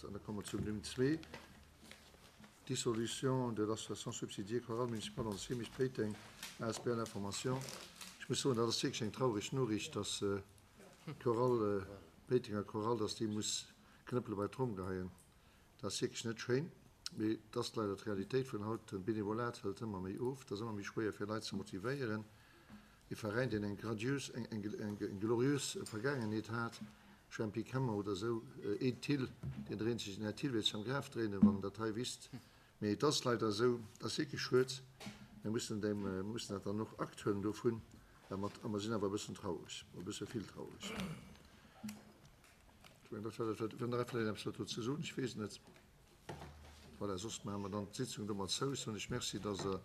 An da komme mer zum Numm zwee, Dissolution de l'association subsidiée Chorale Municipale Ansemis Péiteng asbl Information. Ech muss soen, dat ass wierklech eng traureg Noriicht, dass d'Chorale, d'Péitenger Chorale, dass déi muss Knëppele bei d'Tromm geheien. Dat ass wierklech net schéin, mee et ass leider d'Realitéit vun haut. De Benevolat hëlt ëmmer méi of, et ass ëmmer méi schwéier fir Leit ze motivéieren. Ee Veräin, deen eng gradiös, eng gloriös Vergaangenheet hat, Jempy Kemmer oder esou, een Thill, deen dréint sech, den Här Thill wäert sech am Graf dréinen, wann en dat hei wisst. Mee et ass leider esou, et ass wierklech schued. Mir mussen deem, mir mussen dat dann och Akt huelen dovun, a mer sinn awer e bëssen traureg, e bësse vill traureg. Ech mengen, dat war dat, wat, wann nach vläicht eppes dozou ze soen, ech weess et net. Voilà, soss maache mer dann d'Sitzung domat zou. Soen ech Merci, dass Der.